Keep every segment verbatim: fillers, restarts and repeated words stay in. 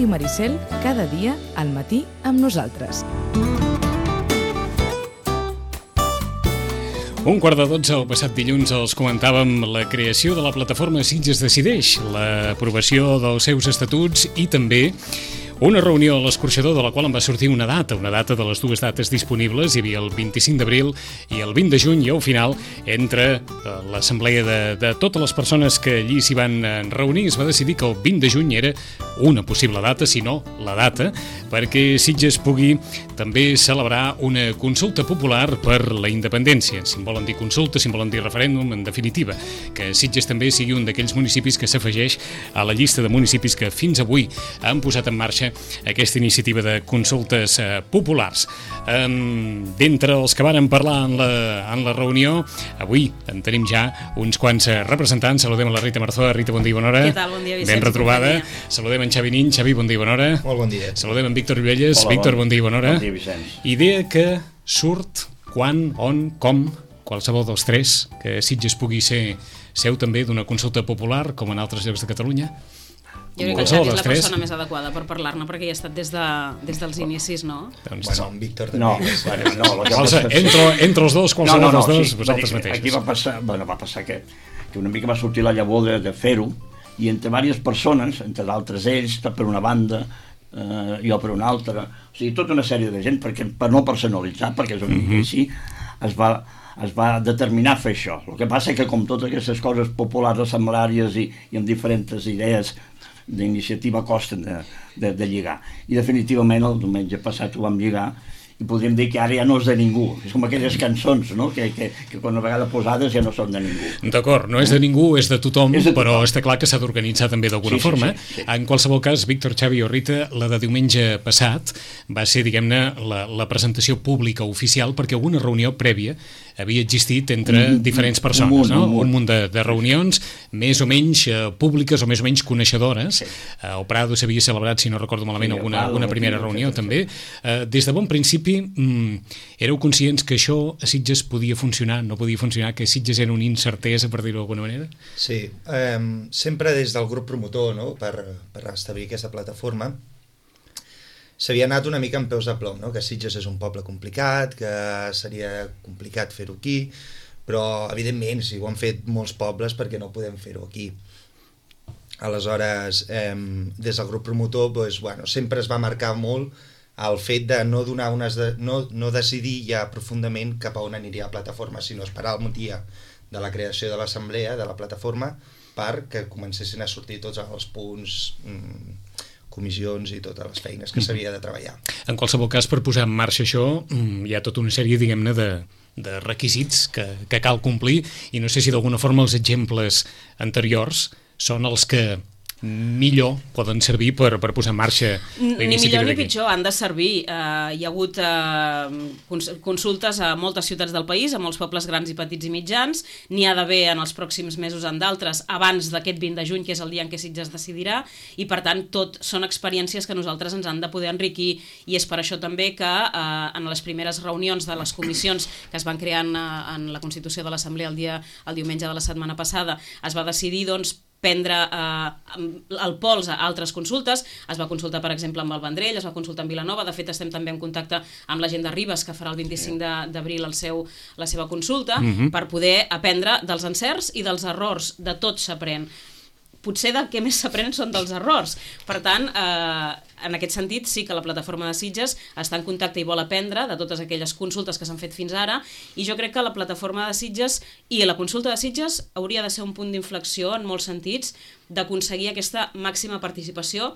Ràdio Maricel, cada dia al matí amb nosaltres. Un quart de dotze, el passat dilluns, els comentàvem la creació de la plataforma Sitges Decideix, l'aprovació dels seus estatuts i també una reunió a l'Escorxador de la qual em va sortir una data, una data de les dues dates disponibles. Hi havia el vint-i-cinc d'abril i el vint de juny, i al final, entre l'assemblea de, de totes les persones que allí s'hi van reunir, es va decidir que el vint de juny era una possible data, si no la data, perquè Sitges pugui també celebrar una consulta popular per la independència. Si en volen dir consulta, si en volen dir referèndum, en definitiva, que Sitges també sigui un d'aquells municipis que s'afegeix a la llista de municipis que fins avui han posat en marxa aquesta iniciativa de consultes eh, populars. Um, D'entre els que varen parlar en la, en la reunió, avui en tenim ja uns quants representants. Saludem a la Rita Marzoa. Rita, bon dia i bona hora. Què tal? Bon dia, Vicenç. Ben retrobada. Saludem en Xavi Nin. Xavi, bon dia i bona hora. Molt bon dia. Saludem en Víctor Llobelles. Hola, Víctor, bon, bon dia i bona hora. Bon dia, Vicenç. Idea que surt quan, on, com, qualsevol dels tres, que Sitges pugui ser seu també d'una consulta popular, com en altres llocs de Catalunya. Jo crec que el Xavi és la persona més adequada per parlar-ne, perquè hi ha estat des, de, des dels inicis, no? Doncs, bueno, en Víctor també. No, bueno, no, lo que Qualse, passa... entre, entre els dos, qualsevol no, no, no, dels dos, sí, vosaltres dir, mateixos. Aquí va passar, bueno, va passar que, que una mica va sortir la llavor de, de fer-ho, i entre diverses persones, entre d'altres ells, per una banda, eh, jo per una altra, o sigui, tota una sèrie de gent, perquè, per no personalitzar, perquè és una mica mm-hmm. així, es va, es va determinar fer això. El que passa és que, com totes aquestes coses populars, assemblàries i, i amb diferents idees d'iniciativa costen de, de, de lligar. I definitivament el diumenge passat ho vam lligar i podríem dir que ara ja no és de ningú. És com aquelles cançons, no? que, que, que quan una vegada posades ja no són de ningú. D'acord, no és de ningú, és de tothom, és de tothom. Però està clar que s'ha d'organitzar també d'alguna sí, sí, forma. Sí, sí, sí. En qualsevol cas, Víctor, Xavi o Rita, la de diumenge passat va ser, diguem-ne, la, la presentació pública oficial, perquè una reunió prèvia havia existit entre un, diferents persones, un munt, no? Un munt, un munt de, de reunions, més o menys eh, públiques o més o menys coneixedores. Sí. Eh, el Prado s'havia celebrat, si no recordo malament, sí, alguna, Prado, una primera reunió, sí, també. Eh, des de bon principi, mm, éreu conscients que això a Sitges podia funcionar, no podia funcionar, que Sitges era una incertesa, per dir-ho d'alguna manera? Sí, eh, sempre des del grup promotor, no?, per, per establir aquesta plataforma, s'havia anat una mica amb peus de plom, no? Que Sitges és un poble complicat, que seria complicat fer-ho aquí, però evidentment si ho han fet molts pobles, perquè no podem fer-ho aquí. Aleshores, eh, des del grup promotor, doncs, bueno, sempre es va marcar molt el fet de no donar unes de, no, no decidir ja profundament cap a on aniria la plataforma, sinó esperar el dia de la creació de l'assemblea, de la plataforma, perquè comencessin a sortir tots els punts, mmm, comissions i totes les feines que s'havia de treballar. En qualsevol cas, per posar en marxa això, hi ha tota una sèrie, diguem-ne, de, de requisits que, que cal complir, i no sé si d'alguna forma els exemples anteriors són els que millor poden servir per, per posar en marxa la ni millor ni d'aquí. pitjor, han de servir. Uh, hi ha hagut uh, consultes a moltes ciutats del país, a molts pobles grans i petits i mitjans, n'hi ha d'haver en els pròxims mesos en d'altres, abans d'aquest vint de juny, que és el dia en què Sitges decidirà, i per tant tot són experiències que nosaltres ens han de poder enriquir, i és per això també que uh, en les primeres reunions de les comissions que es van crear en, en la Constitució de l'Assemblea el dia el diumenge de la setmana passada, es va decidir, doncs, prendre eh, el pols a altres consultes. Es va consultar, per exemple, amb el Vendrell, es va consultar amb Vilanova, de fet estem també en contacte amb la gent de Ribes, que farà el vint-i-cinc d'abril el seu, la seva consulta, uh-huh. per poder aprendre dels encerts i dels errors. De tot s'aprèn. Potser del que més s'aprèn són dels errors. Per tant, eh, en aquest sentit, sí que la plataforma de Sitges està en contacte i vol aprendre de totes aquelles consultes que s'han fet fins ara, i jo crec que la plataforma de Sitges i la consulta de Sitges hauria de ser un punt d'inflexió en molts sentits d'aconseguir aquesta màxima participació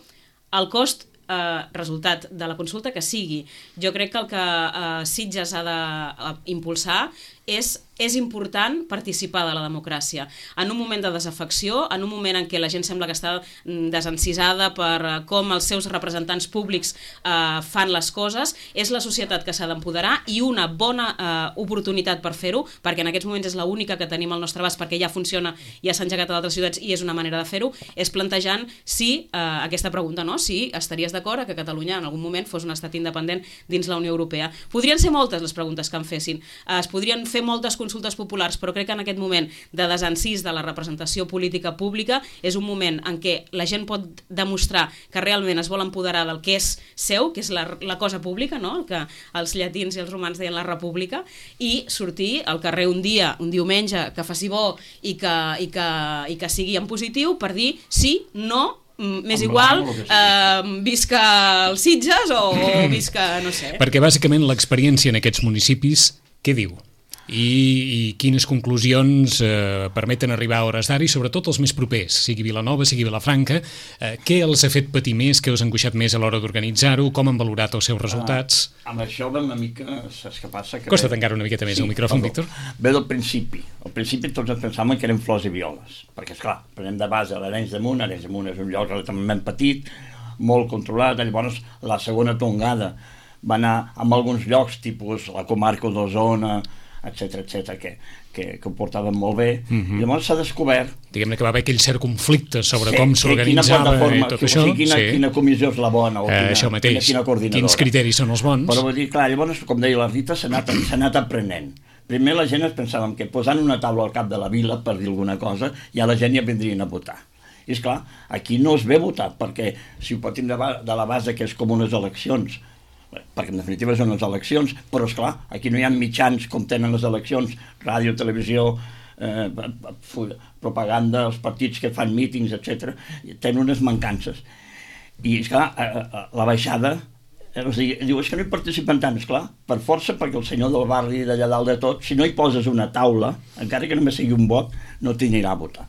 al cost eh, resultat de la consulta que sigui. Jo crec que el que eh, Sitges ha d'impulsar és és important participar de la democràcia. En un moment de desafecció, en un moment en què la gent sembla que està desencisada per com els seus representants públics eh, fan les coses, és la societat que s'ha d'empoderar, i una bona eh, oportunitat per fer-ho, perquè en aquests moments és l'única que tenim al nostre abast, perquè ja funciona, ja s'ha engegat a d'altres ciutats i és una manera de fer-ho, és plantejant si, eh, aquesta pregunta, no? Si estaries d'acord que Catalunya en algun moment fos un estat independent dins la Unió Europea. Podrien ser moltes les preguntes que em fessin. Eh, es podrien fer moltes consultes populars, però crec que en aquest moment de desencís de la representació política pública és un moment en què la gent pot demostrar que realment es vol empoderar del que és seu, que és la, la cosa pública, no? El que els llatins i els romans deien la república, i sortir al carrer un dia, un diumenge, que faci bo i que, i que, i que sigui en positiu per dir sí, no, m'és igual, eh, visca els Sitges o, o visca, no sé. Perquè bàsicament l'experiència en aquests municipis, què diu? I, i quines conclusions eh, permeten arribar a hores d'ara i sobretot els més propers, sigui Vilanova, sigui Vilafranca, eh, què els ha fet patir més, què us ha angoixat més a l'hora d'organitzar-ho, com han valorat els seus resultats? Ah, amb això va una mica, saps què passa? Que Costa tancar una miqueta més sí, el micròfon, perdó. Víctor. Ve del principi. Al principi tots ens pensàvem que eren flors i violes, perquè esclar, prenem de base l'Arenys de Munt, Arenys de Munt és un lloc relativament petit, molt controlat, llavors la segona tongada va anar amb alguns llocs, tipus la comarca d'Osona, etcètera, etcètera, que, que, que ho portaven molt bé. Uh-huh. I llavors s'ha descobert... Diguem-ne que va haver aquell cert conflicte sobre sí, com s'organitzava i tot que, això. O sigui, quina, sí. quina comissió és la bona, o quina, eh, això mateix. Quina, quina coordinadora. Quins criteris són els bons. Però vull dir, clar, llavors, com deia la Rita, s'ha anat, s'ha anat aprenent. Primer la gent es pensàvem que posant una taula al cap de la vila, per dir alguna cosa, ja la gent ja vindrien a votar. I esclar, aquí no es ve a votar, perquè si ho partim de, de la base que és com unes eleccions, perquè en definitiva són les eleccions, però esclar, aquí no hi ha mitjans com tenen les eleccions, ràdio, televisió, eh, propaganda, els partits que fan mítings, etcètera, tenen unes mancances. I esclar, la baixada, o sigui, diu, és que no hi participen tant, esclar, per força, perquè el senyor del barri d'allà dalt de tot, si no hi poses una taula, encara que només sigui un vot, no t'anirà a votar.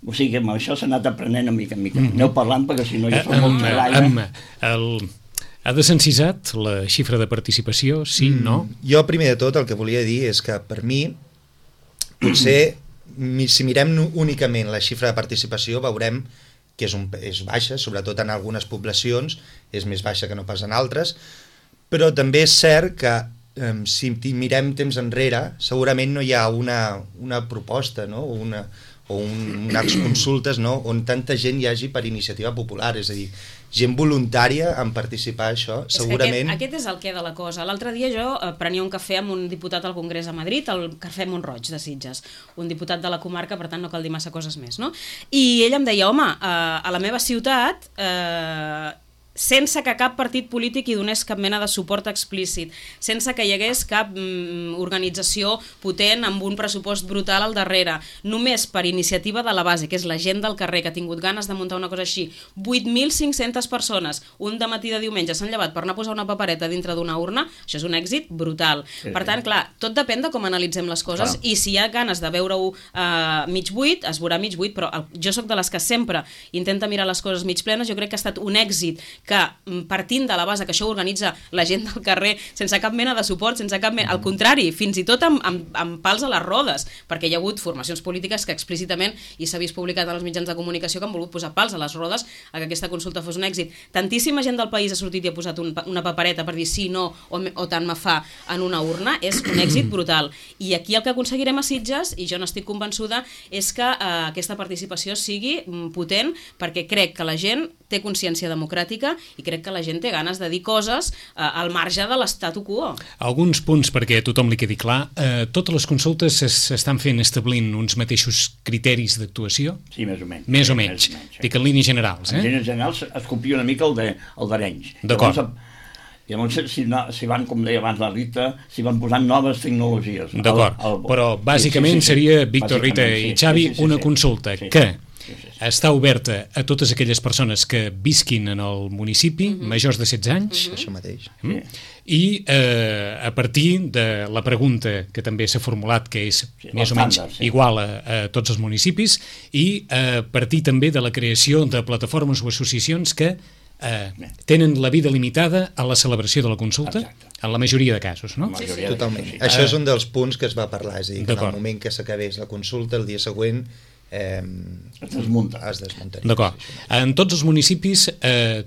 O sigui que amb això s'ha anat aprenent a mica en mica. Mm-hmm. Aneu parlant, perquè si no ja fa molt l'aire. El... Ha desencisat la xifra de participació, sí, mm, no? Jo, primer de tot, el que volia dir és que, per mi, potser, si mirem únicament la xifra de participació, veurem que és, un, és baixa, sobretot en algunes poblacions, és més baixa que no pas en altres, però també és cert que, eh, si mirem temps enrere, segurament no hi ha una, una proposta, no?, o una... o un, unes consultes, no?, on tanta gent hi hagi per iniciativa popular, és a dir, gent voluntària en participar a això, és segurament... Aquest, aquest és el què de la cosa. L'altre dia jo eh, prenia un cafè amb un diputat al Congrés a Madrid, el Cafè Montroig de Sitges, un diputat de la comarca, per tant no cal dir massa coses més, no? I ell em deia, home, eh, a la meva ciutat... Eh, sense que cap partit polític hi donés cap mena de suport explícit, sense que hi hagués cap mm, organització potent amb un pressupost brutal al darrere, només per iniciativa de la base, que és la gent del carrer que ha tingut ganes de muntar una cosa així. vuit mil cinc-centes persones, un dematí de diumenge s'han llevat per anar a posar una papereta dintre d'una urna, això és un èxit brutal. Sí, per tant, clar, tot depèn de com analitzem les coses, clar. I si hi ha ganes de veure-ho uh, mig buit, es veurà mig buit, però el, jo sóc de les que sempre intenta mirar les coses mig plenes. Jo crec que ha estat un èxit que, partint de la base que això ho organitza la gent del carrer sense cap mena de suport, sense cap mena... al contrari, fins i tot amb, amb, amb pals a les rodes, perquè hi ha hagut formacions polítiques que explícitament, i s'ha vist publicat en els mitjans de comunicació, que han volgut posar pals a les rodes a que aquesta consulta fos un èxit. Tantíssima gent del país ha sortit i ha posat un, una papereta per dir sí, no, o, o tant me fa en una urna, és un èxit brutal. I aquí el que aconseguirem a Sitges, i jo n'estic convençuda, és que eh, aquesta participació sigui potent, perquè crec que la gent té consciència democràtica i crec que la gent té ganes de dir coses eh, al marge de l'estatu quo. Alguns punts perquè a tothom li quedi clar. Eh, totes les consultes s'estan fent establint uns mateixos criteris d'actuació? Sí, més o menys. Més o menys. Més o menys sí. Dic en línies generals. Eh? En línies generals es copia una mica el d'Arenys. D'acord. I llavors si, no, si van, com deia abans la Rita, si van posant noves tecnologies. D'acord, però bàsicament sí, sí, sí, seria, Víctor, Rita i Xavi, sí, sí, sí, una consulta sí, sí, que... Sí, sí, sí. Està oberta a totes aquelles persones que visquin en el municipi, uh-huh. majors de setze anys, uh-huh. això mateix. Mm? Sí. I eh, a partir de la pregunta que també s'ha formulat, que és sí, més o menys sí. igual a, a tots els municipis, i a partir també de la creació de plataformes o associacions que eh, tenen la vida limitada a la celebració de la consulta, exacte. En la majoria de casos, no? Sí, sí. Totalment. Sí. Això és un dels punts que es va parlar, és a dir, que en el moment que s'acabés la consulta, el dia següent Eh, es desmunta. Es desmuntaria. D'acord. En tots els municipis eh,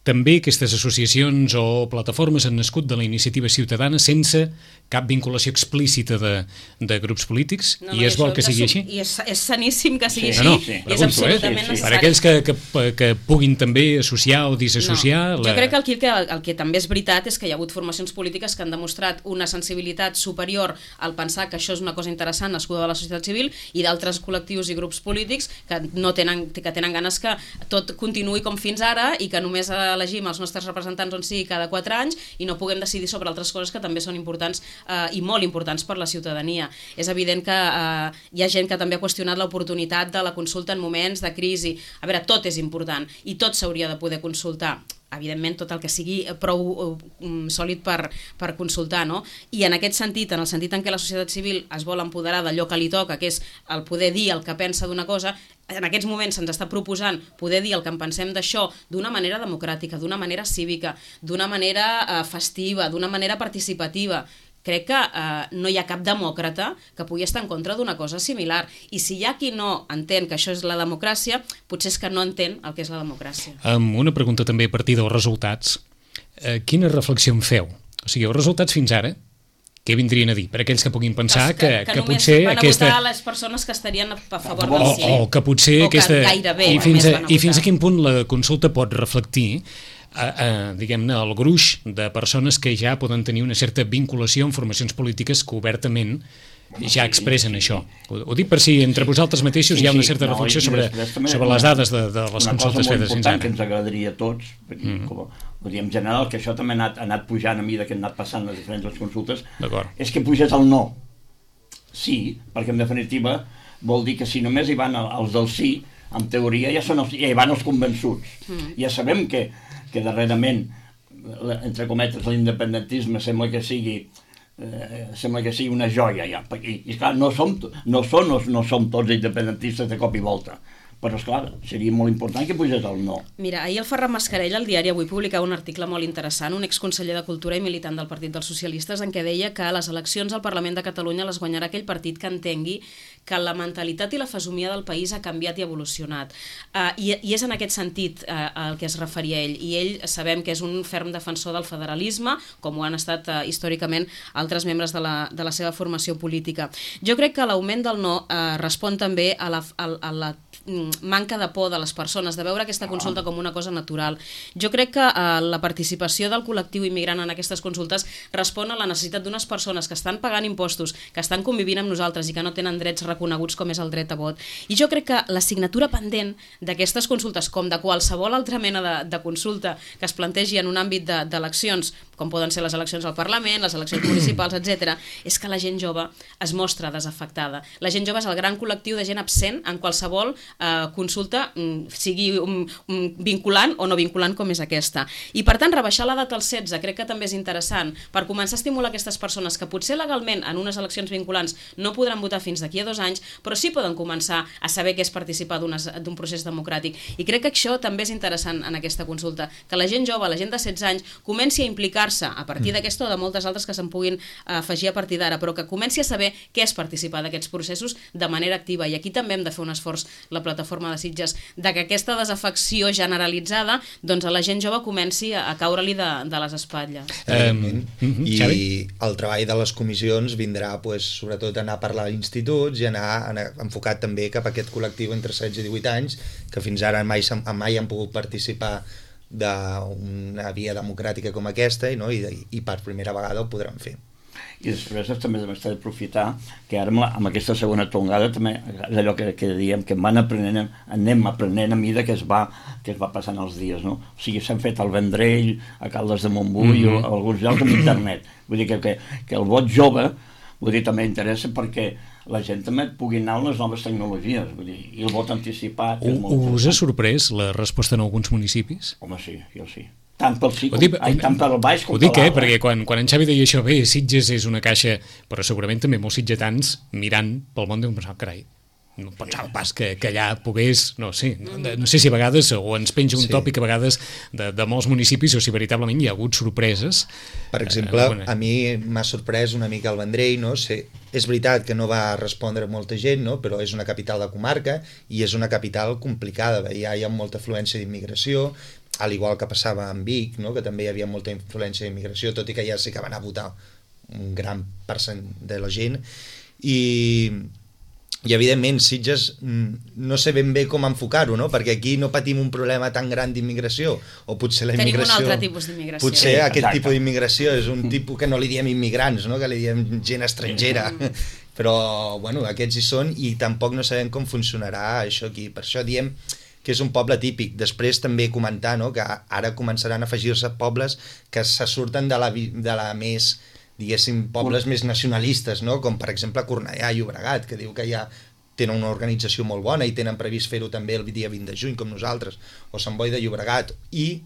també aquestes associacions o plataformes han nascut de la iniciativa ciutadana sense cap vinculació explícita de, de grups polítics, no, no, i és bo que sigui així. I és, és saníssim que sigui Sí, així, no, no, i és pregunto, absolutament eh? necessari. Per aquells que, que, que puguin també associar o disassociar... No. La... Jo crec que el, que el que també és veritat és que hi ha hagut formacions polítiques que han demostrat una sensibilitat superior al pensar que això és una cosa interessant nascuda de la societat civil, i d'altres col·lectius i grups polítics que no tenen, que tenen ganes que tot continuï com fins ara i que només elegim els nostres representants on sigui cada quatre anys i no puguem decidir sobre altres coses que també són importants eh, i molt importants per la ciutadania. És evident que eh, hi ha gent que també ha qüestionat l'oportunitat de la consulta en moments de crisi. A veure, tot és important i tot s'hauria de poder consultar. Evidentment, tot el que sigui prou um, sòlid per, per consultar, no? I en aquest sentit, en el sentit en què la societat civil es vol empoderar d'allò que li toca, que és el poder dir el que pensa d'una cosa, en aquests moments se'ns està proposant poder dir el que en pensem d'això d'una manera democràtica, d'una manera cívica, d'una manera eh, festiva, d'una manera participativa. Crec que eh, no hi ha cap demòcrata que pugui estar en contra d'una cosa similar. I si hi ha qui no entén que això és la democràcia, potser és que no entén el que és la democràcia. Um, una pregunta també a partir dels resultats. Uh, quina reflexió en feu? O sigui, els resultats fins ara, què vindrien a dir? Per aquells que puguin pensar que, que, que, que potser van a aquesta... votar les persones que estarien a favor o, del sí. o que potser o que aquesta... gairebé I fins, a, I fins a votar. quin punt la consulta pot reflectir a, a, diguem-ne, el gruix de persones que ja poden tenir una certa vinculació amb formacions polítiques que obertament ja expressen això. Ho, ho dic per si entre vosaltres mateixos Sí, hi ha una sí, certa no, reflexió i sobre, després també sobre una- les dades de, de les una consultes cosa fetes molt fins important que ara. ens agradaria a tots, perquè, Mm. com, vull dir, en general, que això també ha anat, ha anat pujant a mesura que han anat passant les diferents consultes, D'acord. és que pugés el no. Sí, perquè en definitiva vol dir que si només hi van els del sí, en teoria ja, són els, ja hi van els convençuts. Mm. Ja sabem que, que darrerament, la- entre cometes, l'independentisme sembla que sigui eh, sembla que sigui una joia ja. I, i clar, no som, no, són, no, no som tots independentistes de cop i volta. Però, esclar, seria molt important que pugés el no. Mira, ahir el Ferran Mascarell al diari Avui publicava un article molt interessant, un exconseller de Cultura i militant del Partit dels Socialistes, en què deia que les eleccions al Parlament de Catalunya les guanyarà aquell partit que entengui que la mentalitat i la fesomia del país ha canviat i evolucionat. Uh, i, I és en aquest sentit uh, al que es referia ell. I ell sabem que és un ferm defensor del federalisme, com ho han estat uh, històricament altres membres de la, de la seva formació política. Jo crec que l'augment del no uh, respon també a la, a, a la manca de por de les persones, de veure aquesta consulta com una cosa natural. Jo crec que eh, la participació del col·lectiu immigrant en aquestes consultes respon a la necessitat d'unes persones que estan pagant impostos, que estan convivint amb nosaltres i que no tenen drets reconeguts com és el dret a vot. I jo crec que l'assignatura pendent d'aquestes consultes, com de qualsevol altra mena de, de consulta que es plantegi en un àmbit d'eleccions, de, com poden ser les eleccions al Parlament, les eleccions municipals, etcètera, és que la gent jove es mostra desafectada. La gent jove és el gran col·lectiu de gent absent en qualsevol eh, consulta, sigui un, un vinculant o no vinculant com és aquesta. I per tant, rebaixar l'edat als setze crec que també és interessant per començar a estimular aquestes persones que potser legalment en unes eleccions vinculants no podran votar fins d'aquí a dos anys, però sí poden començar a saber què és participar d'un procés democràtic. I crec que això també és interessant en aquesta consulta, que la gent jove, la gent de setze anys, comenci a implicar-se a partir d'aquesta o de moltes altres que se'n puguin afegir a partir d'ara, però que comenci a saber què és participar d'aquests processos de manera activa. I aquí també hem de fer un esforç, la plataforma de Sitges, de que aquesta desafecció generalitzada doncs a la gent jove comenci a, a caure-li de, de les espatlles. Um, mm-hmm. I Xavi? el treball de les comissions vindrà pues, sobretot anar a parlar a instituts i anar, anar enfocat també cap a aquest col·lectiu entre setze i divuit anys que fins ara mai, mai han pogut participar d'una via democràtica com aquesta i, no? I, i per primera vegada ho podran fer. I després també s'ha d'aprofitar que ara amb, la, amb aquesta segona tongada també és allò que, que diem que van aprenent, anem aprenent a mida que es va, que es va passant els dies, no? O sigui, s'han fet al Vendrell, a Caldes de Montbui, mm-hmm. o a alguns llocs amb internet. Vull dir que, que, que el vot jove, vull dir, també interessa perquè la gent també pugui anar a les noves tecnologies, vull dir, i el vot anticipat... U, us ha sorprès la resposta en alguns municipis? Home, sí, jo sí. Tant pel sí, com, dic, ai, tant pel baix com ho dic, per eh, perquè quan, quan en Xavi deia això, bé, Sitges és una caixa, però segurament també molts sitgetans mirant pel món deuen pensar, carai, no pensava pas que, que allà pogués, no sé, no, no sé si a vegades, o ens penja un sí. tòpic a vegades de, de molts municipis, o si veritablement hi ha hagut sorpreses. Per exemple, eh, a mi m'ha sorprès una mica el Vendrell, no sé, és veritat que no va respondre molta gent, no? Però és una capital de comarca i és una capital complicada, ja hi ha molta afluència d'immigració al igual que passava amb Vic, no? Que també hi havia molta influència d'immigració, tot i que ja sí que va anar a votar un gran percent de la gent, i, i evidentment Sitges no sé ben bé com enfocar-ho, no? Perquè aquí no patim un problema tan gran d'immigració, o potser la immigració... Tenim un altre tipus d'immigració. Potser sí, aquest exacte. tipus d'immigració és un tipus que no li diem immigrants, no? Que li diem gent estrangera, però bueno, aquests hi són i tampoc no sabem com funcionarà això aquí, per això diem que és un poble típic. Després també comentar, no?, que ara començaran a afegir-se pobles que se surten de la, de la més, diguéssim, pobles més nacionalistes, no?, com per exemple Cornellà i Llobregat, que diu que ja tenen una organització molt bona i tenen previst fer-ho també el dia vint de juny, com nosaltres, o Sant Boi de Llobregat, i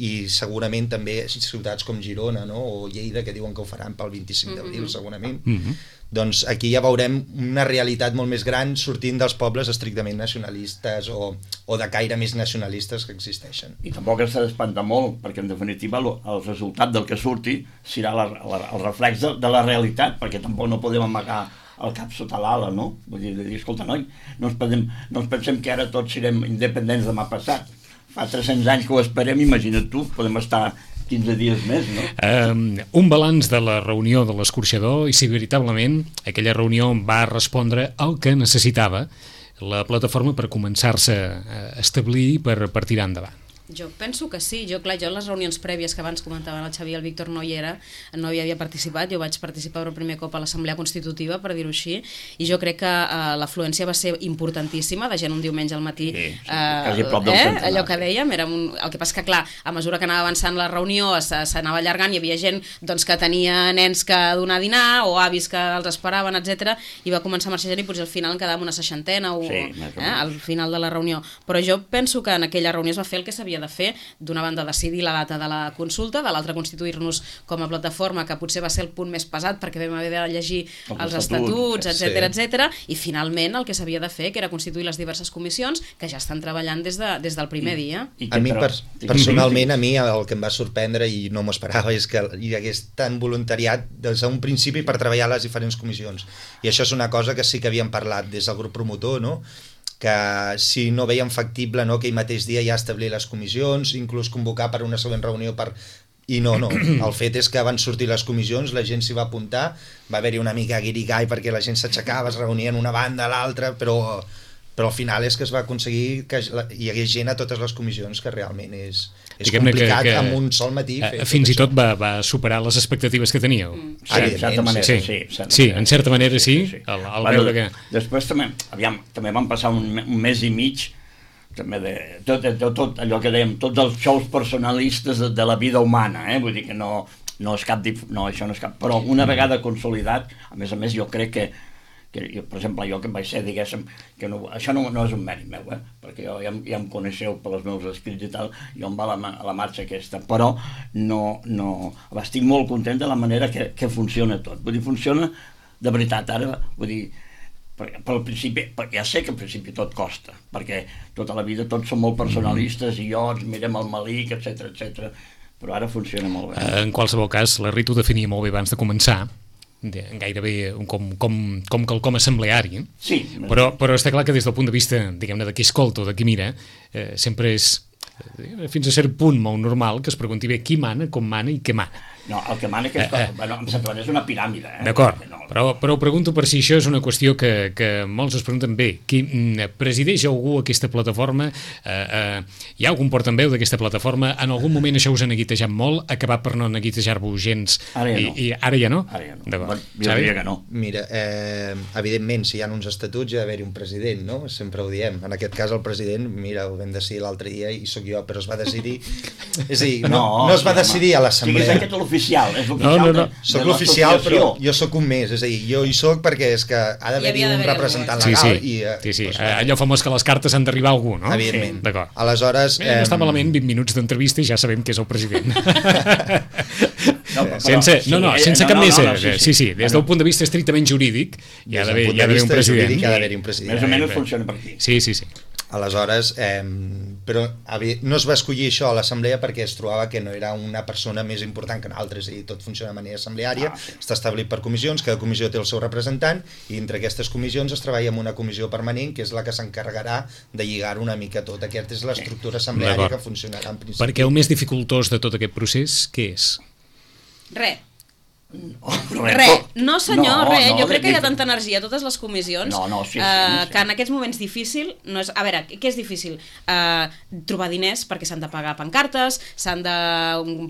i segurament també ciutats com Girona, no?, o Lleida, que diuen que ho faran pel vint-i-cinc d'abril, segurament. Mm-hmm. Doncs aquí ja veurem una realitat molt més gran sortint dels pobles estrictament nacionalistes o, o de caire més nacionalistes que existeixen. I tampoc s'ha d'espantar molt, perquè en definitiva el, el resultat del que surti serà la, la, el reflex de, de la realitat, perquè tampoc no podem amagar el cap sota l'ala, no? Vull dir, dir escolta, noi, no ens, pensem, no ens pensem que ara tots serem independents demà passat. Fa tres-cents anys que ho esperem, imagina't tu, podem estar quinze dies més, no? Um, un balanç de la reunió de l'escorxador i si veritablement aquella reunió va respondre al que necessitava la plataforma per començar-se a establir per, per tirar endavant. Jo penso que sí, jo clar, jo en les reunions prèvies que abans comentaven el Xavi i el Víctor no hi era, no hi havia participat, jo vaig participar per primer cop a l'Assemblea Constitutiva, per dir-ho així, i jo crec que uh, l'afluència va ser importantíssima, de gent un diumenge al matí, sí, sí, uh, prop del eh, centenar. Allò que dèiem, era un... el que passa que clar, a mesura que anava avançant la reunió s'anava allargant, hi havia gent doncs, que tenia nens que donar a dinar o avis que els esperaven, etcètera, i va començar a marxar gent i potser al final en quedava una seixantena o, sí, eh, al final de la reunió, però jo penso que en aquella reunió es va fer el que s'havia de fer, d'una banda decidir la data de la consulta, de l'altra constituir-nos com a plataforma, que potser va ser el punt més pesat perquè vam haver de llegir els, els estatuts, etcètera, sí. etcètera, i finalment el que s'havia de fer, que era constituir les diverses comissions que ja estan treballant des, de, des del primer I, dia. I a mi, per, personalment, a mi el que em va sorprendre i no m'ho esperava és que hi hagués tant voluntariat des d'un principi per treballar a les diferents comissions, i això és una cosa que sí que havíem parlat des del grup promotor, no?, que si no veiem factible, no, aquell mateix dia ja establir les comissions, inclús convocar per una següent reunió per... I no, no, el fet és que van sortir les comissions, la gent s'hi va apuntar, va haver-hi una mica guirigall perquè la gent s'aixecava, es reunia en una banda a l'altra, però, però al final és que es va aconseguir que hi hagués gent a totes les comissions, que realment és, és complicat que, que, amb un sol matí fer fins tot i tot va, va superar les expectatives que teníeu. Mm. Sí, en certa manera, sí. Sí, sí, sí, en certa manera sí, sí, sí. El, el bueno, veure que... Després també, aviam, també van passar un, un mes i mig també de tot, de, tot allò que dèiem, tots els xous personalistes de, de la vida humana, eh? Vull dir que no, no és cap, no, això no és cap, però una vegada consolidat, a més a més jo crec que que jo, per exemple, jo que vaig ser, diguéssim, que no, això no, no és un mèrit meu, eh? Perquè jo ja, ja em coneixeu per els meus escrits i tal, jo em va a la, a la marxa aquesta, però no, no, estic molt content de la manera que, que funciona tot, vull dir, funciona de veritat, ara, vull dir, perquè, per al principi, perquè ja sé que al principi tot costa, perquè tota la vida tots som molt personalistes i jo ens mirem el malic, etcètera, etcètera, però ara funciona molt bé. En qualsevol cas, la Rita ho definia molt bé abans de començar, gairebé com, com, com quelcom assembleari, sí, però, però està clar que des del punt de vista, diguem-ne, de qui escolta o de qui mira, eh, sempre és eh, fins a cert punt molt normal que es pregunti bé qui mana, com mana i què mana. No, el que mana que és, eh, eh. Bueno, em sembla que és una piràmide. Eh? D'acord, no. però, però pregunto per si això és una qüestió que, que molts es pregunten bé. Qui presideix algú aquesta plataforma? Eh, eh, hi ha algun portaveu d'aquesta plataforma? En algun moment això us ha neguitejat molt, ha acabat per no neguitejar-vos gens? Ara ja no. I, i ara ja no? Ara ja no. D'acord. Jo diria que no. Mira, eh, evidentment, si hi ha uns estatuts hi ha d'haver-hi un president, no? Sempre ho diem. En aquest cas, el president, mira, ho vam decidir l'altre dia i sóc jo, però es va decidir... És a dir, no, no, no es va decidir a l'assemblea. Sí, és aquest l'oficial, és l'oficial. No, no, no. De, soc l'oficial, però jo sóc un més, és a dir, jo hi soc perquè és que ha d'haver-hi un representant legal. Sí, sí, i, eh, sí, sí. Doncs, allò famós que les cartes han d'arribar a algú, no? Evidentment. Sí. D'acord. Aleshores... Eh, no està malament, vint minuts d'entrevista i ja sabem que és el president. No, però, sense, no, no, sense no, cap no, més... no, no, sí, sí, sí, des del punt de vista estrictament jurídic hi ha d'haver un president. Hi ha d'haver un president. Més o menys funciona per aquí. Sí, sí, sí. Aleshores, eh, però no es va escollir això a l'assemblea perquè es trobava que no era una persona més important que nosaltres, i tot funciona de manera assembleària, ah, sí. Està establit per comissions, cada comissió té el seu representant, i entre aquestes comissions es treballa amb una comissió permanent, que és la que s'encarregarà de lligar una mica tot. Aquesta és l'estructura assembleària que funcionarà en principi. Perquè el més dificultós de tot aquest procés, què és? Res. Oh, Re, no senyor, no, re, no, jo crec que hi ha tanta energia a totes les comissions no, no, sí, sí, uh, sí. que en aquests moments difícil no és, a veure, què és difícil? Uh, trobar diners perquè s'han de pagar pancartes, s'han de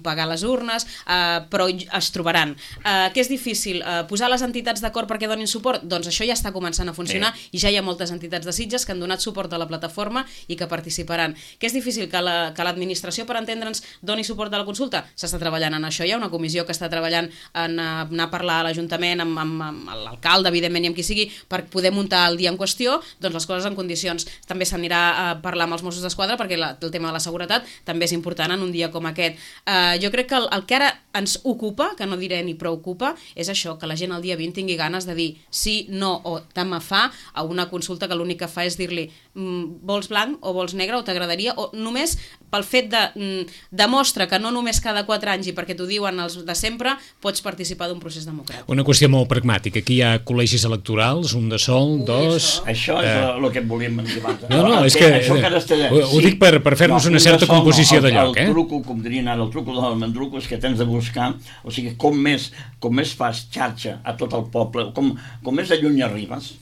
pagar les urnes, uh, però es trobaran. Uh, què és difícil? Uh, posar les entitats d'acord perquè donin suport? Doncs això ja està començant a funcionar, sí. I ja hi ha moltes entitats de Sitges que han donat suport a la plataforma i que participaran. Què és difícil? Que la, que l'administració, per entendre'ns, doni suport a la consulta? S'està treballant en això, hi ha una comissió que està treballant en anar a parlar a l'Ajuntament amb, amb, amb l'alcalde, evidentment, i amb qui sigui, per poder muntar el dia en qüestió, doncs les coses en condicions. També s'anirà a parlar amb els Mossos d'Esquadra perquè la, el tema de la seguretat també és important en un dia com aquest. Uh, jo crec que el, el que ara ens ocupa, que no diré ni preocupa, és això, que la gent el dia vint tingui ganes de dir sí, no o tant me fa a una consulta que l'únic que fa és dir-li mm, vols blanc o vols negre o t'agradaria, o només pel fet de mm, demostra que no només cada quatre anys i perquè t'ho diuen els de sempre pots participar d'un procés democràtic. Una qüestió molt pragmàtica. Aquí hi ha col·legis electorals, un de sol, Ui, dos... Això, això és eh... el que volíem dir. No, no, és que, això que de... ho, ho sí. dic per, per fer-nos no, una certa sol, composició no, el, de lloc. El eh? truco, com dirien ara, el truco del mandruco és que tens de buscar, o sigui, com més, com més fas xarxa a tot el poble, com, com més lluny arribes,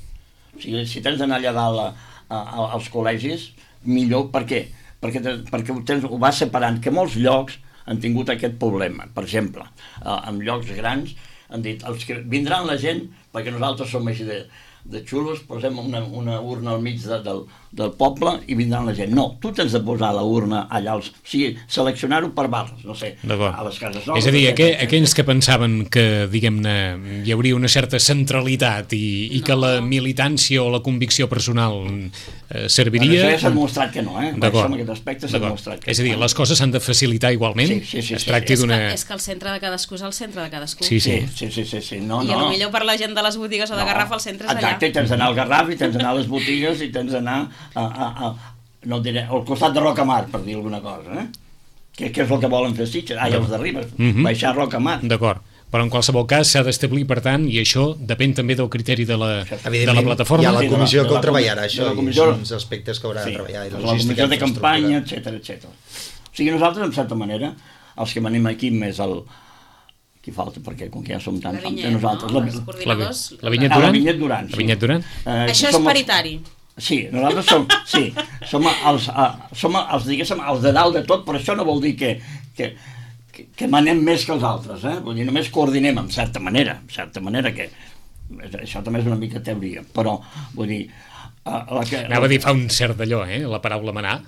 o sigui, si tens d'anar allà dalt a, a, a, als col·legis, millor, per què? Perquè, te, perquè ho, tens, ho vas separant, que molts llocs han tingut aquest problema. Per exemple, en llocs grans han dit, els que vindran la gent, perquè nosaltres som així de, de xulos, posem una, una urna al mig de, del, del poble i vindran la gent. No, tu tens de posar la urna allà, als, o sigui, seleccionar-ho per barres, no sé, a les cases noves. És a dir, aqu aquells que pensaven que, diguem-ne, hi hauria una certa centralitat i, i no. que la militància o la convicció personal eh, serviria... Bueno, això ja s'ha demostrat que no, eh? Això en aquest aspecte s'ha demostrat que no. És a dir, les coses s'han de facilitar igualment? Sí, sí, sí. Es tracti sí. d'una... És, que, és que el centre de cadascú és el centre de cadascú. Sí, sí. Sí, sí, sí, sí. No, I no. potser per la gent de les botigues o de no. Garraf el centre és allà. Exacte, i tens d'anar al Garraf i tens d'anar a les botigues i tens d'anar a, a, a, no diré, al costat de Rocamar, per dir alguna cosa, eh? Que, que és el que volen fer Sitges, ah, i els de Ribes, mm -hmm. baixar a Rocamar. D'acord, però en qualsevol cas s'ha d'establir, per tant, i això depèn també del criteri de la, de la plataforma. Hi ha la comissió sí, que ho treballarà, això, la comissió, i són els aspectes que haurà sí, de treballar. I la, la comissió de campanya, etcètera, etcètera. O sigui, nosaltres, en certa manera, els que venim aquí més el... Qui falta, perquè com que ja som tants... La Vinyet, nosaltres, no? La, Els coordinadors... La, la Vinyet ah, Duran? La Vinyet Duran, sí. La Vinyet Duran? Eh, això és paritari. Els, sí, nosaltres som, sí, som, els, uh, som els, diguéssim, els de dalt de tot, però això no vol dir que, que, que, que manem més que els altres, eh? Vull dir, només coordinem, en certa manera, en certa manera que... Això també és una mica teoria, però, vull dir... Uh, la que, Anava a dir, fa un cert d'allò, eh? La paraula manar.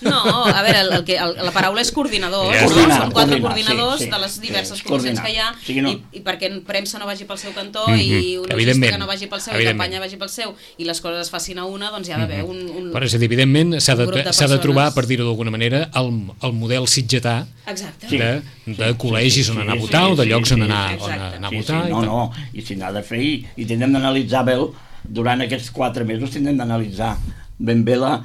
No, a veure, el, el que, el, la paraula és coordinadors, ja, no? coordinar, Són quatre coordinar, coordinadors sí, sí, de les diverses sí, comissions coordinar. que hi ha, Sí, no. i, i perquè premsa no vagi pel seu cantó Mm-hmm. i una Evidentment. logística no vagi pel seu i campanya vagi pel seu i les coses es facin a una, doncs hi ha d'haver un, un... Però és a dir, evidentment s'ha de, grup de s'ha de trobar, persones. per dir-ho d'alguna manera, el, el model sitgetà Exacte. de, de col·legis on anar a votar o de llocs on anar, on exacte. anar a Sí, votar. sí, i no, tal. no, i si n'ha de fer, i, i tindrem d'analitzar bé, durant aquests quatre mesos tindrem d'analitzar ben bé la,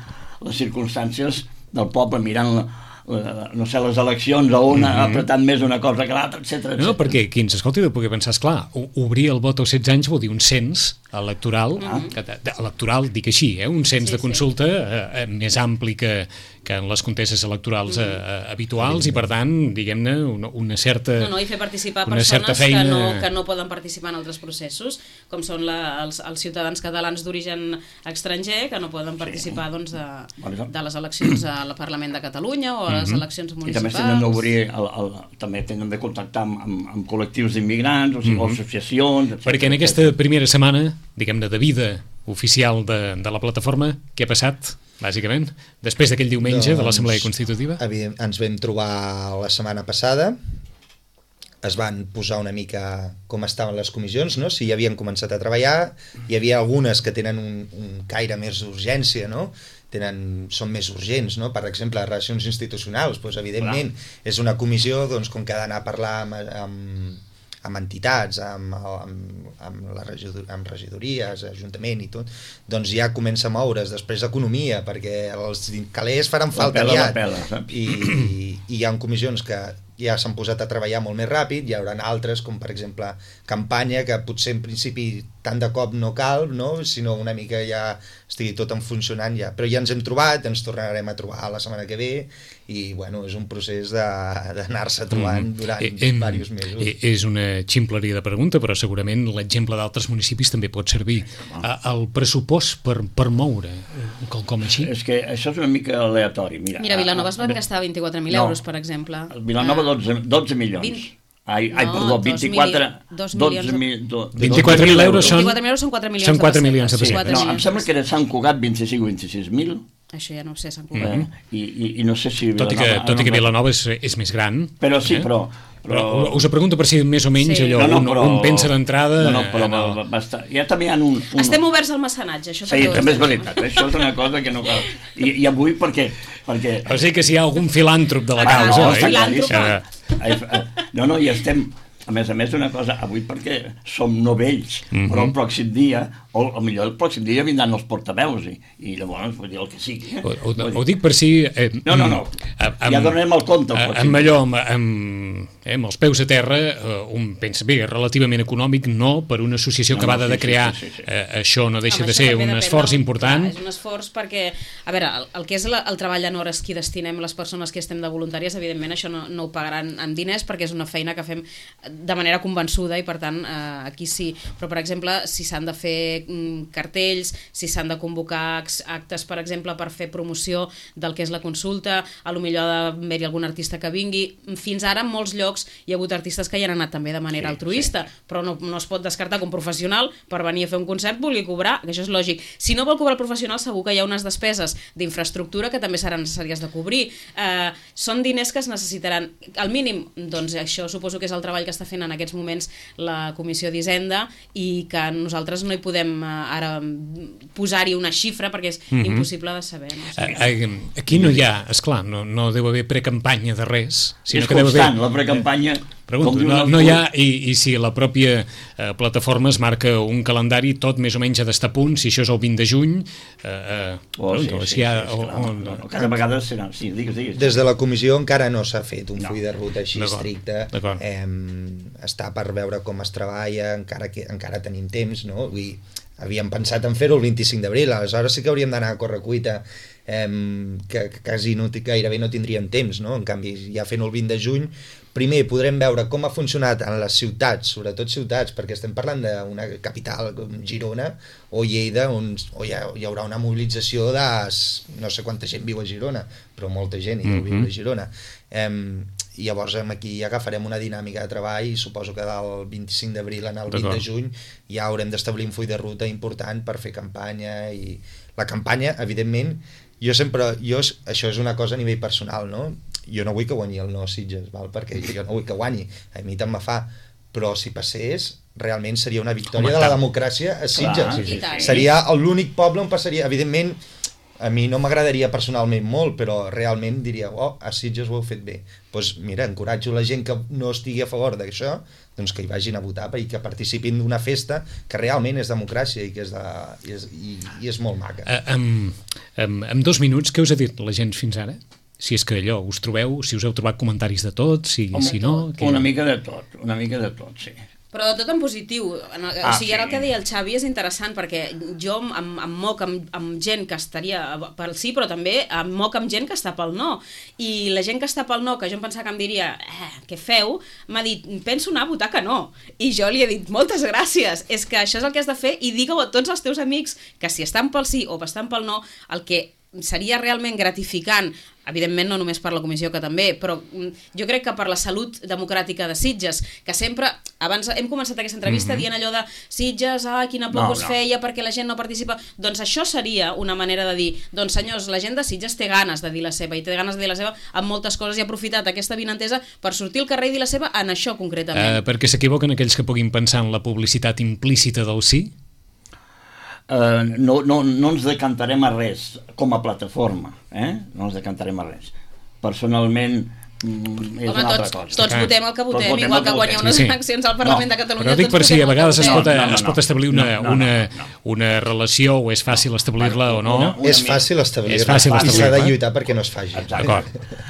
les circumstàncies del poble, mirant la, la, no sé, les eleccions a una, mm-hmm. apretant més una cosa que l'altra, etcètera. No, perquè qui ens escolti deu poder pensar, esclar, obrir el vot als setze anys vol dir un cens electoral, mm-hmm. que, de, electoral, dic així, eh, un cens Sí, de consulta eh, més ampli que, que en les contestes electorals eh, eh, habituals i, per tant, diguem-ne, una, una certa... No, no, i fer participar una certa persones feina... que, no, que no poden participar en altres processos, com són la, els, els ciutadans catalans d'origen estranger, que no poden participar doncs, de, de les eleccions al Parlament de Catalunya o a les eleccions I municipals. també tenen d'obrir, el, el, també tenen de contactar amb, amb, amb col·lectius d'immigrants, o sigui, mm-hmm. associacions... Etcètera, perquè en aquesta primera setmana, diguem-ne, de vida oficial de, de la plataforma, què ha passat, bàsicament, després d'aquell diumenge doncs, de l'Assemblea Constitutiva? Ens vam trobar la setmana passada, es van posar una mica com estaven les comissions, no? Si ja havien començat a treballar, hi havia algunes que tenen un, un caire més d'urgència, no? Tenen, són més urgents, no? Per exemple, les relacions institucionals, doncs, evidentment, Hola. És una comissió doncs, com que ha d'anar a parlar amb, amb, amb entitats, amb, amb, amb, la regidor, amb regidories, ajuntament i tot, doncs ja comença a moure's. Després economia, perquè els calés faran falta pela, aviat. Pela, saps? I, i, I hi ha comissions que ja s'han posat a treballar molt més ràpid, hi haurà altres, com per exemple campanya, que potser en principi tant de cop no cal, no? Sinó una mica ja estigui tot en funcionant ja. Però ja ens hem trobat, ens tornarem a trobar la setmana que ve, i bueno, és un procés d'anar-se trobant durant mm. eh, diversos mesos. Eh, és una ximpleria de pregunta, però segurament l'exemple d'altres municipis també pot servir. El pressupost per, per moure com així? És que això és una mica aleatori. Mira, Mira Vilanova es van gastar vint-i-quatre mil no, euros, per exemple. Vilanova dotze, dotze milions. vint Ai, ai, no, perdó, vint-i-quatre... dotze mil... vint-i-quatre mil euros són... vint-i-quatre mil euros són quatre milions són quatre milions de sí, pessetes. No, em sembla que era Sant Cugat vint-i-cinc o vint-i-sis mil. Això ja no ho sé, Sant Cugat. Eh? I, i, I no sé si... Tot i que, tot i que Vilanova és, és més gran. Però sí, eh? però, però... però... Us ho pregunto per si més o menys sí. allò, no, no, però... un, un pensa d'entrada... No, no, però no. Va, va estar... ja també hi ha un, un... Estem oberts al mecenatge, això sí, també és veritat. Això és una cosa que no cal... I, i avui perquè... perquè... O sigui que si hi ha algun filàntrop de la ah, causa... No, eh? filàntrop. No, no, i estem... A més a més, una cosa, avui perquè som novells, mm-hmm. però el pròxim dia, o, o millor el pròxim dia vindran els portaveus, i, i llavors vull dir el que sigui. Ho, ho, ho dic per si... Eh, no, no, no, amb, ja donarem el compte. El amb allò, amb, amb, eh, amb els peus a terra, eh, un pensa, bé, relativament econòmic, no, per una associació no, acabada no, sí, de crear, sí, sí, sí. Eh, això no deixa no, de ser un esforç del, important. Clar, és un esforç perquè, a veure, el, el que és la, el treball en hores que destinem les persones que estem de voluntàries, evidentment això no, no ho pagaran amb diners, perquè és una feina que fem de manera convençuda i per tant eh, aquí sí, però per exemple si s'han de fer mm, cartells, si s'han de convocar actes per exemple per fer promoció del que és la consulta, a lo millor ha d'haver-hi algun artista que vingui, fins ara en molts llocs hi ha hagut artistes que hi han anat també de manera sí, altruista, sí. però no, no es pot descartar que un professional per venir a fer un concert vulgui cobrar, que això és lògic. Si no vol cobrar el professional segur que hi ha unes despeses d'infraestructura que també seran necessàries de cobrir. Eh, són diners que es necessitaran. Al mínim, doncs això suposo que és el treball que està fent en aquests moments la Comissió d'Hisenda i que nosaltres no hi podem uh, ara posar-hi una xifra perquè és mm-hmm. impossible de saber. No? O sigui, aquí no hi ha, esclar, no, no deu haver precampanya de res, sinó és que deu constant, haver... la precampanya... Pregunto, no, no hi ha, i, i si la pròpia eh, plataforma es marca un calendari tot més o menys ha d'estar a punt, si això és el vint de juny eh, eh, oh, pregunto, sí, si hi ha, sí, sí, o, o, no, no, cada vegada serà, sí, digues, digues. Des de la comissió encara no s'ha fet un no. full de ruta així estricte, eh, està per veure com es treballa, encara que encara tenim temps, no? Vull dir, havíem pensat en fer-ho el vint-i-cinc d'abril, aleshores sí que hauríem d'anar a correcuita, eh, que, que quasi no, gairebé no tindríem temps, no? En canvi, ja fent-ho el vint de juny, primer podrem veure com ha funcionat en les ciutats, sobretot ciutats, perquè estem parlant d'una capital com Girona o Lleida, on, on hi, ha, hi haurà una mobilització de no sé quanta gent viu a Girona, però molta gent hi mm-hmm. viu a Girona. Eh, i llavors aquí ja agafarem una dinàmica de treball i suposo que del vint-i-cinc d'abril en el vint de juny ja haurem d'establir un full de ruta important per fer campanya, i la campanya, evidentment, jo sempre, jo, això és una cosa a nivell personal, no? Jo no vull que guanyi el no Sitges, val? Perquè jo no vull que guanyi, a mi tant me fa, però si passés realment seria una victòria Home, de la democràcia a Sitges. Clar, sí, sí. Seria l'únic poble on passaria, evidentment, a mi no m'agradaria personalment molt, però realment diria, oh, a Sitges ho heu fet bé. Doncs pues mira, encoratjo la gent que no estigui a favor d'això, doncs que hi vagin a votar i que participin d'una festa que realment és democràcia i que és, de, i és, i, i és molt maca. Uh, amb, amb, amb dos minuts, què us ha dit la gent fins ara? Si és que allò, us trobeu, si us heu trobat comentaris de tot, si, Home, si no... Que... Una mica de tot, una mica de tot, sí. Però tot en positiu. En el, ah, o sigui, ara sí. El que deia el Xavi és interessant perquè jo em, em moc amb, amb gent que estaria pel sí, però també em moc amb gent que està pel no. I la gent que està pel no, que jo em pensava que em diria eh, què feu? M'ha dit, penso anar a votar que no. I jo li he dit, moltes gràcies. És que això és el que has de fer i digue-ho a tots els teus amics que si estan pel sí o estan pel no, el que seria realment gratificant, evidentment no només per la comissió que també, però jo crec que per la salut democràtica de Sitges, que sempre, abans hem començat aquesta entrevista mm-hmm. dient allò de Sitges, ah, quina por no, us no. feia perquè la gent no participa, doncs això seria una manera de dir, doncs senyors, la gent de Sitges té ganes de dir la seva, i té ganes de dir la seva amb moltes coses, i ha aprofitat aquesta vinentesa per sortir al carrer i dir la seva en això concretament. Uh, perquè s'equivoquen aquells que puguin pensar en la publicitat implícita del sí? Uh, no, no, no ens decantarem a res com a plataforma, eh? No ens decantarem a res. Personalment mm, és Home, una altra tots, cosa. tots votem el que Tots votem, votem igual el que que guanyar votem. unes Sí, sí. eleccions al Parlament No. de Catalunya. Però dic tots per si votem a el que vegades es votem. pot, No, no, no, es pot establir una, no, no, una, no, no. una relació o és fàcil establir-la o no. Una- una És mica. fàcil establir-la És fàcil i s'ha de establir-la. lluitar perquè no es faci. Exacte. D'acord,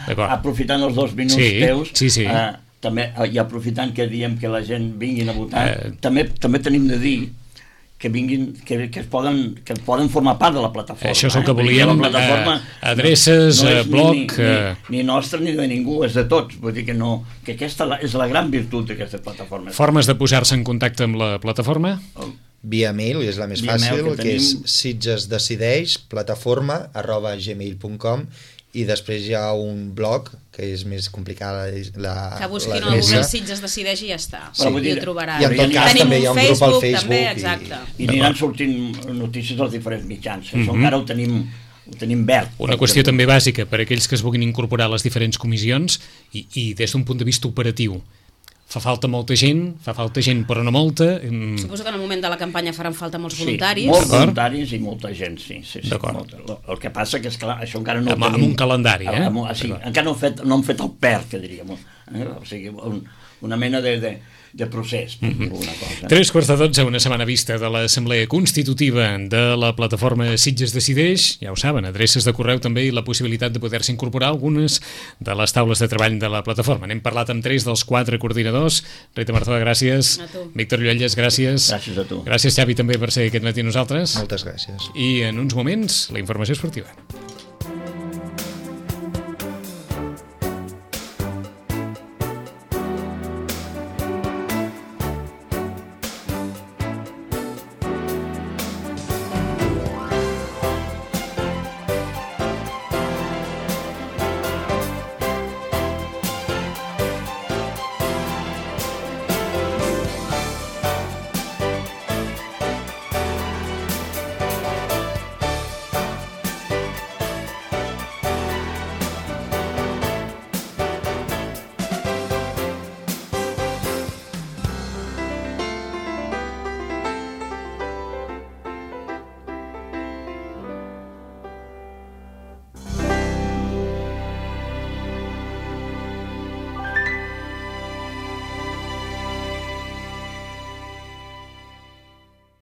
d'acord. Aprofitant els dos minuts Sí, teus, sí, sí. Eh, també, eh, i aprofitant que diem que la gent vinguin a votar, Eh. també, també tenim de dir que vinguin, que, que, es poden, que poden formar part de la plataforma. Això és el que eh? Vull dir volíem, la plataforma eh, adreces, no, no eh, és ni- blog, Ni, eh. ni, ni nostra ni de ningú, és de tots. Vull dir que, no, que aquesta la- és la gran virtut d'aquesta plataforma. Formes de posar-se en contacte amb la plataforma? Via mail, és la més Via fàcil, mail, que que, és tenim- sitgesdecideix, plataforma, arroba gmail punt com, i després hi ha un blog que és més complicada la, Que busquin la al Google adreça. Sitges decideix i ja està. Però vull I ho dir- trobaran. I en tot cas Tenim també hi ha un grup al Facebook també, i- exacte. I aniran sortint notícies als diferents mitjans. Això Mhm. encara ho tenim, ho tenim verd. Una qüestió també bàsica per a aquells que es vulguin incorporar a les diferents comissions i, i des d'un punt de vista operatiu. Fa falta molta gent, fa falta gent però no molta. mm, Suposo que en el moment de la campanya faran falta molts Sí, voluntaris. molts D'acord. voluntaris i molta gent, sí. sí, sí D'acord. molta. El, el que passa que, és clar, això encara no ho Amb- amb tenim... un calendari, eh? Amb, amb, sí, encara no hem fet, no hem fet el P E R, que diríem. Eh? O sigui, un, una mena de, de, de procés, per Mhm. dir alguna cosa. Tres quarts de dotze, una setmana vista de l'Assemblea Constitutiva de la plataforma Sitges Decideix. Ja ho saben, adreces de correu també i la possibilitat de poder-se incorporar a algunes de les taules de treball de la plataforma. N'hem parlat amb tres dels quatre coordinadors. Rita Marzoa, gràcies. A tu. Víctor Lluelles, gràcies. Gràcies a tu. Gràcies, Xavi, també per ser aquest matí amb nosaltres. Moltes gràcies. I en uns moments, la informació esportiva.